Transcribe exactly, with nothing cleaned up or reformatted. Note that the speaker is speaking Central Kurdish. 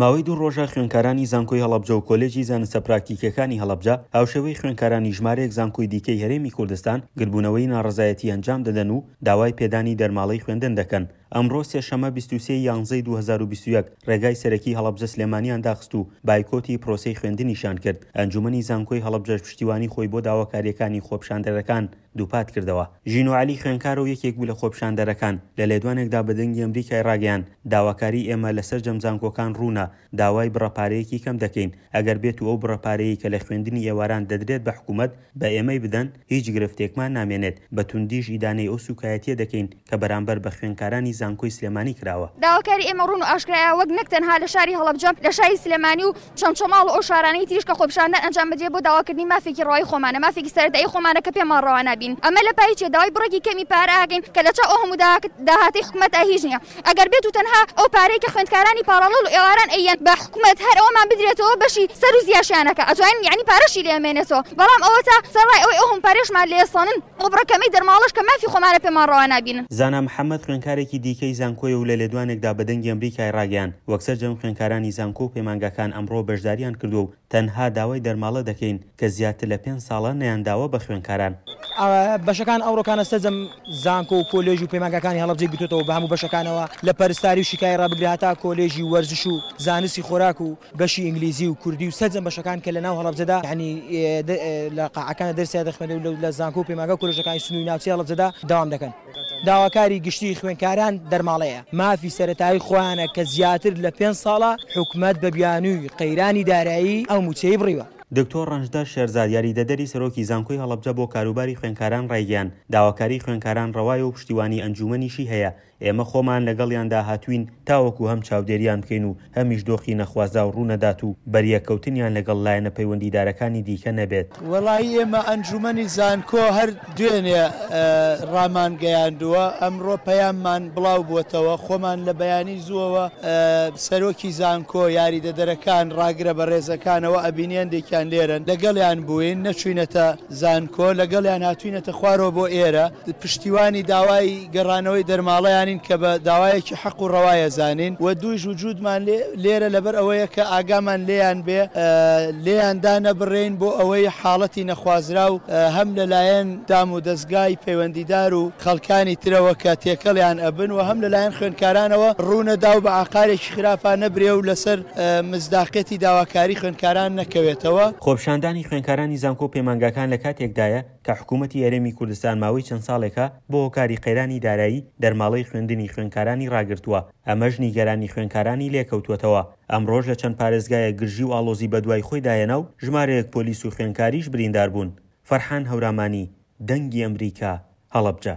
ماوەی دوو ڕۆژە خوێندکارانی زانکۆی هەڵەبجە و کۆلێجی زانستە پراکتیکیەکانی هەڵەبجە هاوشێوەی خوێندکارانی ژمارەیەک زانکۆی دیکەی هەرێمی کوردستان گردبوونەوەی ناڕەزایەتی ئەنجام دەدەن و داوای پێدانی دەرماڵەی خوێندن دەکەن. ئەمڕۆ سێشەممە بیست و سێ ی یانزەی دوو هەزار و بیست و یەک ڕێگای سەرەکی هەڵەبجە سلێمانیان داخست و بایکۆتی پرۆسەی خوێندنیشیان کرد. ئەنجومەنی زانکۆی هەڵەبجەش پشتیوانی خۆی بۆ داواکارییەکانی خۆپیشاندەرەکان دووپات کردەوە. ژینۆ عەلی خوێندکارە و یەکێک بوو لە خۆپیشاندەرەکان، لە لێدوانێکدا بە دەنگی ئەمریکای ڕاگەیاند، داواکاری ئێمە لە سەرجەم زانکۆکان ڕوونە، داوای بڕە پارەیەکی کەم دەکەین، ئەگەر بێتو ئەو بڕە پارەیەی کە لە خوێندنی ئێواران دەدرێت بە حکومەت بە ئێمەی بدەن، هیچ گرفتێکمان نامێنێت، بە توندیش ئیدانەی ئەو سوکایەتیە دەکەین کە بەرامبەر بە خوێندکارانی زانکۆی سلێمانی کراوە. داواکاری ئێمە ڕوون و ئاشکرایە، وەک نەک تەنها لە شاری هەڵەبجە، لە شاری سلێمانی و چەمچەماڵ و ئەو شارانەی تریش کە خۆپیشاندان ئەنجام بدرێت بۆ داواکردنی مافێکی ڕەوای خۆمانە، مافێکی سەرەتایی خۆمانە کە پێمان ڕەوا نابین. ئەمە لە پای چیە؟ داوای بڕێکی کەمی پارە ئەکەین کە لە چاو ئەو هەموو داهاتەی حکومەتا هیچ نییە. ئەگەر بێت و تەنها ئەو پارەی کە خوێندکارانی پاڕاڵڵ و ئێواران ئەیەن بە حکومەت هەر ئەوەمان بدرێتەوە بەشی سەر و زیاشیانەکە ئەتوانین یعنی پارەشی لێ ئەمێنێتەوە، بەڵام ئەوەتا سەرڕای ئەوەی ئەو هەموو پارەشمان لێ سەنن ئەو بڕە کەمەی دەرماڵەش کە مافی خۆمانە پێمان ڕەوا نابینن. زانا محەمەد خوێندکارێکی دیکەی زانکۆیە و لە لێدوانێکدا بە دەنگی ئەمریکای ڕاگەیاند، وەک سەرجەم خوێندکارانی زانکۆ و پەیمانگاکان ئەمڕۆ بەشداریان کردووە و تەنها داوای دەرماڵە دەکەین کە زیاتر لە پێنج ساڵە نەیانداوە بە خوێندکاران. بەشەکان ئەوڕۆکانە سەرجەم زانکۆ و کۆلێژ و پەیمانگاکانی هەڵەبجەی گرتووەتەوە بە هەموو بەشەکانەوە لە پەرستاری و شیکاری ڕابگرە هەتا کۆلێژی وەرزش و زانستی خۆراک و بەشی ئینگلیزی و کوردی و سەرجەم بەشەکان کە لە ناو هەڵەبجەدا یعنی لە قاعەکانە دەرسیان دەخوێنن و لە زانکۆ و پەیمانگا و کۆلێژەکانی سنووری ناوچەی هەڵەبجەدا دەوام دەکەن. داواکاری گشتی خوێندکاران دەرماڵەیە مافی سەرەتایی خۆیانە کە زیاتر لە پێنج ساڵە حکومەت بە بیانووی قەیرانی دارایی ئەو مووچەی بڕیوە. دکتۆر ڕەنجدەر شێرزاد یاریدەدەری سەرۆکی زانکۆی هەڵەبجە بۆ کاروباری خوێندکاران ڕایگەیاند، داواکاری خوێندکاران ڕەوایە و پشتیوانی ئەنجومەنیشی هەیە، ئێمە خۆمان لەگەڵیاندا هاتووین تاوەکو هەم چاودێریان بکەین و هەمیش دۆخی نەخوازراو ڕوونەدات و بەریەککەوتنیان لەگەڵ لایەنە پەیوەندیدارەکانی دیکە نەبێت. وەڵایی ئێمە ئەنجومەنی زانکۆ هەر دوێنێ ڕامانگەیاندووە، ئەمڕۆ پەیاممان بڵاو بووەتەوە، خۆمان لە بەیانی زووەوە سەرۆکی زانکۆ، یاریدەدەرەکان، ڕاگرە بەڕێزەکانەوە ئەبینی هەندێکیان لێرەن، لەگەڵیان بووین، نەچووینەتە زانکۆ، لەگەڵیان هاتووینەتە خوارەوە بۆ ئێرە، پشتیوانی داوای گەڕانەوەی دەرماڵەیانین کە بە داوایەکی حەق و ڕەوایە زانین و دوویش وجودمان لێرە لەبەر ئەوەیە کە ئاگامان لێیان بێ، لێیان دانەبڕێین بۆ ئەوەی حاڵەتی نەخوازراو هەم لەلایەن دام و دەستگای پەیوەندیدار و خەڵکانی ترەوە کە تێکەڵیان ئەبن و هەم لەلایەن خوێندکارانەوە ڕوونەدا و بە ئاقارێکی خراپا نەبرێ و لەسەر مزداقیەتی داواکاری خوێندکاران نەکەوێتەوە. خۆپیشاندانی خوێندکارانی زانکۆ و پەیمانگاکان لە کاتێکدایە کە حکوومەتی هەرێمی کوردستان ماوەی چەند ساڵێکە بۆ هۆکاری قەیرانی دارایی دەرماڵەی خوێندنی خوێندکارانی ڕاگرتووە، ئەمەش نیگەرانی خوێندکارانی لێکەوتووەتەوە. ئەمڕۆش لە چەند پارێزگایەک گرژی و ئاڵۆزی بەدوای خۆیدا هێنا و ژمارەیەک پۆلیس و خوێندکاریش بریندار بوون. فەرحان هەورامانی، دەنگی ئەمریکا، هەڵەبجە.